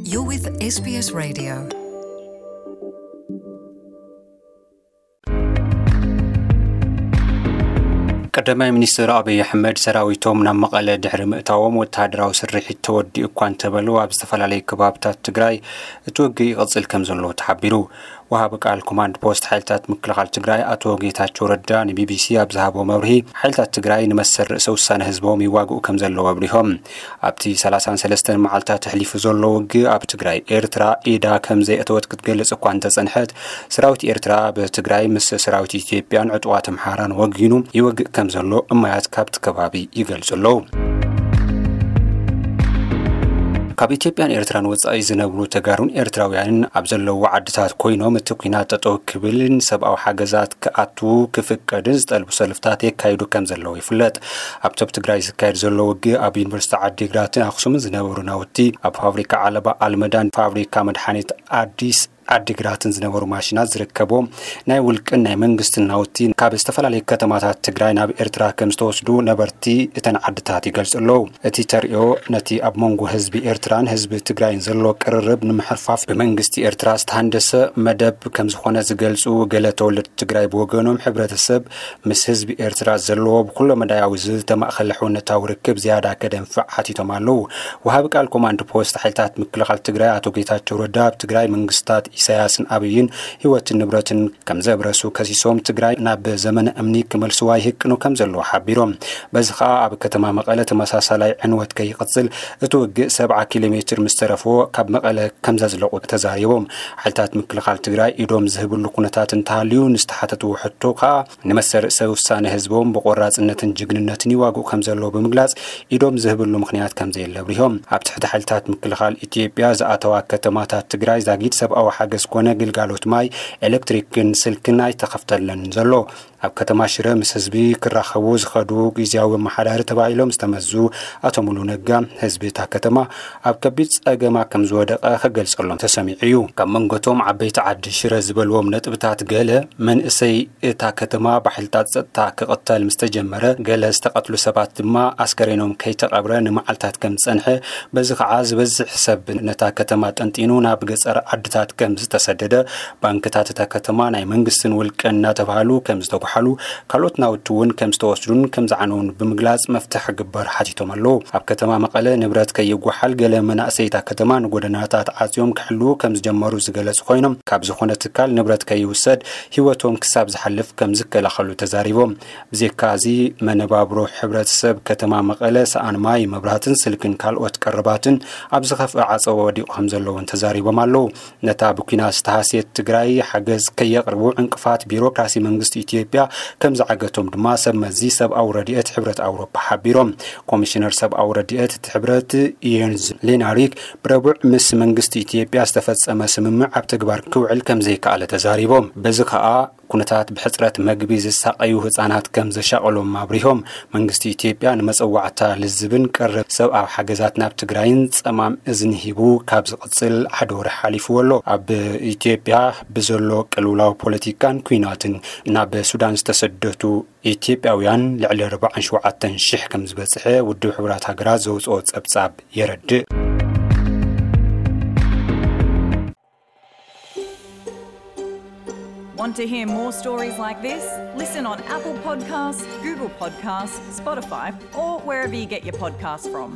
You're with S B S Radio. ቀዳማይ ሚኒስትር ኣብይ ኣሕመድ ሰራዊቶም ናብ መቐለ ድሕሪ ምእታዎም ወተሃደራዊ ስርሒት ተወዲኡ እኳ እንተበሉ ኣብ ዝተፈላለዩ ከባብታት ትግራይ እቲ ውግእ ይቕፅል ከም ዘሎ ተሓቢሩ። ወሃቢ ቃል ኮማንድ ፖስት ሓይልታት ምክልኻል ትግራይ ኣቶ ጌታቸው ረዳ ንቢቢሲ ኣብ ዝሃቦ መብርሂ ሓይልታት ትግራይ ንመሰል ርእሰ ውሳነ ህዝቦም ይዋግኡ ከም ዘለዉ ኣብሪሆም። ኣብቲ ሰላሳን ሰለስተን መዓልታት ኣሕሊፉ ዘሎ ውግእ ኣብ ትግራይ ኤርትራ ኢዳ ከም ዘየእተወት ክትገልጽ እኳ እንተጸንሐት፣ ሰራዊት ኤርትራ ብትግራይ ምስ ሰራዊት ኢትዮጵያን ዕጡቓት ኣምሓራን ወጊኑ ይወግእ ከም ዘሎ እማያት ካብቲ ከባቢ ይገልጹ ኣለዉ። ካብ ኢትዮጵያን ኤርትራን ወጻኢ ዝነብሩ ተጋሩን ኤርትራውያንን ኣብ ዘለዉ ዓድታት ኮይኖም እቲ ኲናት ጠጠው ክብልን ሰብኣዊ ሓገዛት ክኣቱ ክፍቀድን ዝጠልቡ ሰልፍታት የካይዱ ከም ዘለዉ ይፍለጥ። ኣብቲ ኣብ ትግራይ ዝካየድ ዘሎ ውግእ ኣብ ዩኒቨርሲቲ ዓዲግራትን ኣኽሱምን ዝነበሩ ናውቲ፣ ኣብ ፋብሪካ ዓለባ ኣልመዳን ፋብሪካ መድሓኒት ኣዲስ ዓዲግራትን ዝነበሩ ማሽናት ዝርከቦም ናይ ውልቅን ናይ መንግስትን ናውቲ ካብ ዝተፈላለዩ ከተማታት ትግራይ ናብ ኤርትራ ከም ዝተወስዱ ነበርቲ እተን ዓድታት ይገልጹ ኣለዉ። እቲ ተርእዮ ነቲ ኣብ መንጎ ህዝቢ ኤርትራን ህዝቢ ትግራይን ዘሎ ቅርርብ ንምሕርፋፍ ብመንግስቲ ኤርትራ ዝተሃንደሰ መደብ ከም ዝኾነ ዝገልጹ ገለ ተወለድቲ ትግራይ ብወገኖም፣ ሕብረተሰብ ምስ ህዝቢ ኤርትራ ዘለዎ ብኩሎ መዳያዊ ዝተማእኸለ ሕውነታዊ ርክብ ዝያዳ ከደንፍዕ ሓቲቶም ኣለዉ። ወሃቢ ቃል ኮማንድ ፖስት ሓይልታት ምክልኻል ትግራይ ኣቶ ጌታቸው ረዳ ኣብ ትግራይ መንግስታት ኢሳያስን ኣብይን ህይወትን ንብረትን ከም ዘብረሱ ከሲሶም፣ ትግራይ ናብ ዘመነ እምኒ ክመልስዋ ይህቅኑ ከም ዘለዉ ሓቢሮም። በዚ ኸኣ ኣብ ከተማ መቐለ ተመሳሳላይ ዕንወት ከይቕጽል እቲ ውግእ ሰብዓ ኪሎ ሜትር ምስ ተረፎ ካብ መቐለ ከም ዘዝለቑ ተዛሪቦም። ሓይልታት ምክልኻል ትግራይ ኢዶም ዝህብሉ ኩነታት እንተሃልዩ ንዝተሓተትዎ ሕቶ ከኣ ንመሰል ርእሰ ውሳነ ህዝቦም ብቆራጽነትን ጅግንነትን ይዋግኡ ከም ዘለዉ ብምግላጽ ኢዶም ዝህብሉ ምኽንያት ከም ዘየለ ኣብሪሆም። ኣብ ትሕቲ ሓይልታት ምክልኻል ኢትዮጵያ ዝኣተዋ ከተማታት ትግራይ ዛጊድ ሰብኣዊ ሓገዝ ኮነ ግልጋሎት ማይ፣ ኤሌክትሪክን ስልክን ኣይተኸፍተለን ዘሎ። ኣብ ከተማ ሽረ ምስ ህዝቢ ክራኸቡ ዝኸዱ ግዝያዊ ኣመሓዳሪ ተባሂሎም ዝተመዙ ኣቶ ሙሉ ነጋ፣ ህዝቢ እታ ከተማ ኣብ ከቢድ ጸገማ ከም ዝወደቐ ክገልጸሎም ተሰሚዑ እዩ። ካብ መንጎቶም ዓበይቲ ዓዲ ሽረ ዝበልዎም ነጥብታት ገለ፣ መንእሰይ እታ ከተማ ብሓይልታት ጸጥታ ክቕተል ምስ ተጀመረ፣ ገለ ዝተቐትሉ ሰባት ድማ ኣስከሬኖም ከይተቐብረ ንመዓልታት ከም ዝጸንሐ፣ በዚ ኸዓ ዝበዝሕ ሰብ ነታ ከተማ ጠንጢኑ ናብ ገጸር ዓድታት ከም ዝተሰደደ፣ ባንክታት እታ ከተማ ናይ መንግስትን ውልቅን እናተባህሉ ከም ዝተጓሓሉ፣ ካልኦት ናውቲ እውን ከም ዝተወስዱን ከም ዝዓነውን ብምግላጽ መፍትሒ ክግበር ሓቲቶም ኣለዉ። ኣብ ከተማ መቐለ ንብረት ከይጓሓል ገለ መናእሰይ እታ ከተማ ንጎደናታት ዓጽዮም ክሕልዉ ከም ዝጀመሩ ዝገለጹ ኮይኖም፣ ካብ ዝኾነ ትካል ንብረት ከይውሰድ ህይወቶም ክሳብ ዝሓልፍ ከም ዝከላኸሉ ተዛሪቦም። ብዘይካ እዚ መነባብሮ ሕብረተሰብ ከተማ መቐለ ሰኣን ማይ፣ መብራህትን ስልክን ካልኦት ቀረባትን ኣብ ዝኸፍአ ዓጸቦ ወዲቑ ከም ዘለውን ተዛሪቦም ኣለዉ። ነታ ብኲናት ዝተሃስየት ትግራይ ሓገዝ ከየቕርቡ ዕንቅፋት ቢሮክራሲ መንግስቲ ኢትዮጵያ ከም ዝዓገቶም ድማ ሰብ መዚ ሰብኣዊ ረድኤት ሕብረት ኣውሮፓ ሓቢሮም። ኮሚሽነር ሰብኣዊ ረድኤት እቲ ሕብረት የንዝ ሌናሪክ ብረቡዕ ምስ መንግስቲ ኢትዮጵያ ዝተፈጸመ ስምምዕ ኣብ ተግባር ክውዕል ከም ዘይከኣለ ተዛሪቦም። በዚ ከኣ ኩነታት ብሕጽረት መግቢ ዝሳቐዩ ህጻናት ከም ዘሻቐሎም ኣብሪሆም። መንግስቲ ኢትዮጵያ ንመጸዋዕታ ልዝብን ቀረብ ሰብኣዊ ሓገዛት ናብ ትግራይን ጸማም እዝኒ ሂቡ ካብ ዝቕጽል ሓደ ወርሒ ሓሊፍዎ ኣሎ። ኣብ ኢትዮጵያ ብዘሎ ቅልውላው ፖለቲካን ኲናትን ናብ ሱዳን ዝተሰደቱ ኢትዮጵያውያን ልዕሊ ኣርባዓን ሸውዓተን ሽሕ ከም ዝበጽሐ ውድብ ሕቡራት ሃገራት ዘውጽኦ ጸብጻብ የረድእ። Want to hear more stories like this? Listen on Apple Podcasts, Google Podcasts, Spotify, or wherever you get your podcasts from.